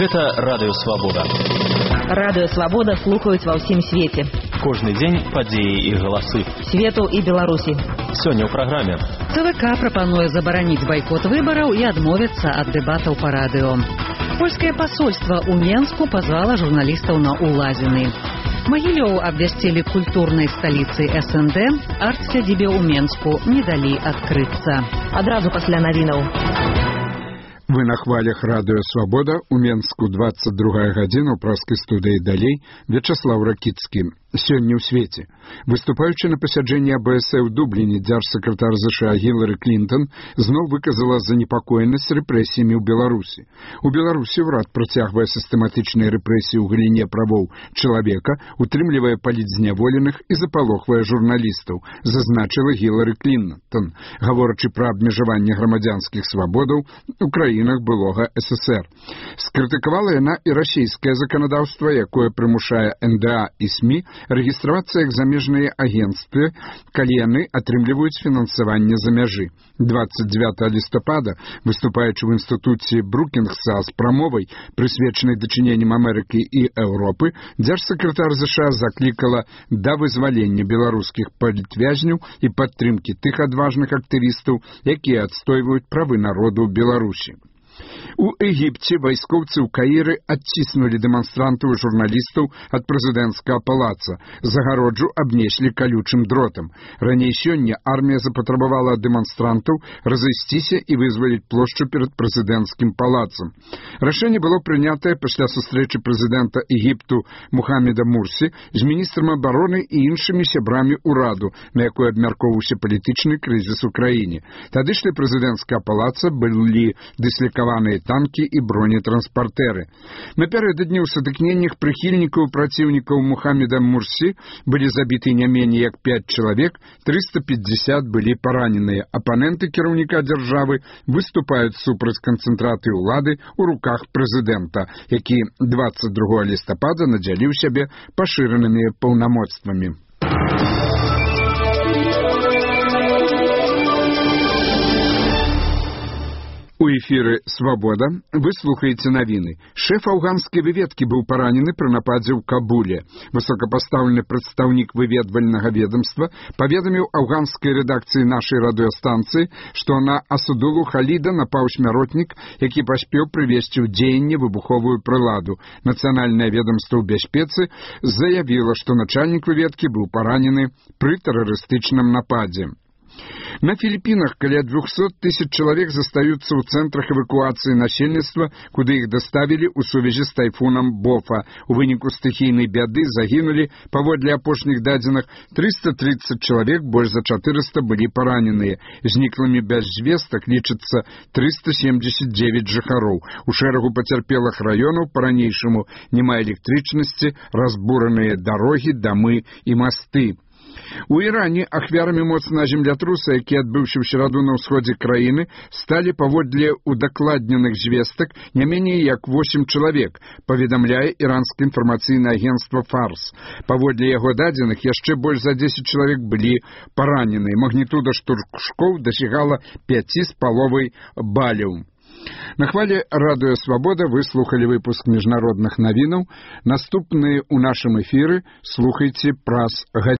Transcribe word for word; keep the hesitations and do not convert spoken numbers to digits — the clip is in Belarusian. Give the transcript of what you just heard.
Гэта Радыё Свабода. Радыё Свабода слухаюць ва ўсім свеце. Кожны дзень падзеі і галасы. Свету і Беларусі. Сёння ў праграме. ЦВК прапануе забараніць байкот выбараў і адмовіцца ад дэбатаў па радыё. Польскае пасольства ў Менску пазвала журналістаў на улазіны. Магілёў абвясцілі культурнай сталіцай эс эн дэ, арт-сядзібе ў Менску не далі адкрыцца. Адразу пасля навінаў. Вы на хвалях Радыё Свабода, у Менску двадцать другая гадзіна, у праскай студыі далей Вячаслав Ракіцкі. Сёння ў свеце. Выступаючы на пасяджэнні а бэ эс э ў Дубліне, дзяржсакратар ЗША Гілары Клінтон зноў выказала занепакоенасць рэпрэсіямі ў Беларусі. У Беларусі ўрад працягвае сістэматычныя рэпрэсіі ў галіне правоў чалавека, утрымлівае палітзняволеных і запалохвае журналістаў, зазначыла Гілары Клінтон, гаворачы пра абмежаванне грамадзянскіх свабодаў у краінах былога эс эсэр. Скрытыкавала яна і расійскае заканадаўства, якое прымушае эн дэ а і СМІ рэгістравацца як замежныя агенцтвы, калі яны атрымліваюць фінансаванне за мяжы. двадцать девятого лістапада, выступаючы ў інстытуце Брукінгса з прамовай, прысвечанай дачыненням Амерыкі і Еўропы, дзяржсакратар ЗША заклікала да вызвалення беларускіх палітвязняў і падтрымкі тых адважных актывістаў, якія адстойваюць правы народу Беларусі. У Егіпце вайскоўцы ў Каіры адціснулі дэманстрантаў і журналістаў ад прэзідэнцкага палаца. Загароджу абнеслі калючым дротам. Раней сёння армія запатрабавала ад дэманстрантаў разысціся і вызваліць плошчу перад прэзідэнцкім палацам. Рашэнне было прынятае пасля сустрэчы прэзідэнта Егіпту Мухаммеда Мурсі з міністрам абароны і іншымі сябрамі ўраду, на якой абмяркоўваўся палітычны крызіс у краіне. Тадышлі прэзідэнцкага палаца былі дыслікаваныя танкі і бронетранспартэры. Напярэдадні ў сутыкненнях прыхільнікаў і праціўнікаў Мухаммеда Мурсі былі забіты не меней як пяць чалавек, трыста пятьдесят былі параненыя. Апаненты кіраўніка дзяржавы выступаюць супраць канцэнтраты ўлады ў руках прэзідэнта, які двадцать другого лістапада надзяліў сябе пашыранымі паўнамоцтвамі. У эфіры «Свабода» вы слухаеце навіны. Шэф афганскай выведкі быў паранены пры нападзе ў Кабуле. Высокапастаўлены прадстаўнік выведвальнага ведомства паведаміў афганскай рэдакцыі нашай радыёстанцыі, што на Асудулу Халіда напаў смяротнік, які паспеў прывесці ў дзеянне выбуховую прыладу. Нацыянальнае ведомства ў бяспецы заявіла, што начальнік выведкі быў паранены пры тэрарыстычным нападзе. На Філіпінах каля двухсот тысяч чалавек застаюцца ў цэнтрах эвакуацыі насельніцтва, куды іх даставілі ў сувязі з тайфунам Бофа. У выніку стыхійнай бяды загінулі, паводле апошніх дадзеных, трыста тридцать чалавек, больш за чатырыста былі параненыя. Зніклымі без звестак лічыцца трыста семьдесят девять жыхароў. У шэрагу пацярпелых раёнаў па-ранейшаму няма электрычнасці, разбураныя дарогі, дамы і масты. У Іране ахвярамі моцнага землятруса, які адбыўся ў сераду на ўсходзе краіны, сталі паводле удакладненых звестак не меней як восемь чалавек, паведамляе іранскае інфармацыйнае агенцтва Фарс. Паводле яго дадзеных яшчэ больш за дзесяць чалавек былі паранены. Магнітуда штуршкоў дасягала пяць з паловай баляў. На хвале Радыё Свабода вы слухалі выпуск міжнародных навінаў. Наступныя ў нашым эфіры слухайце праз гадзіну.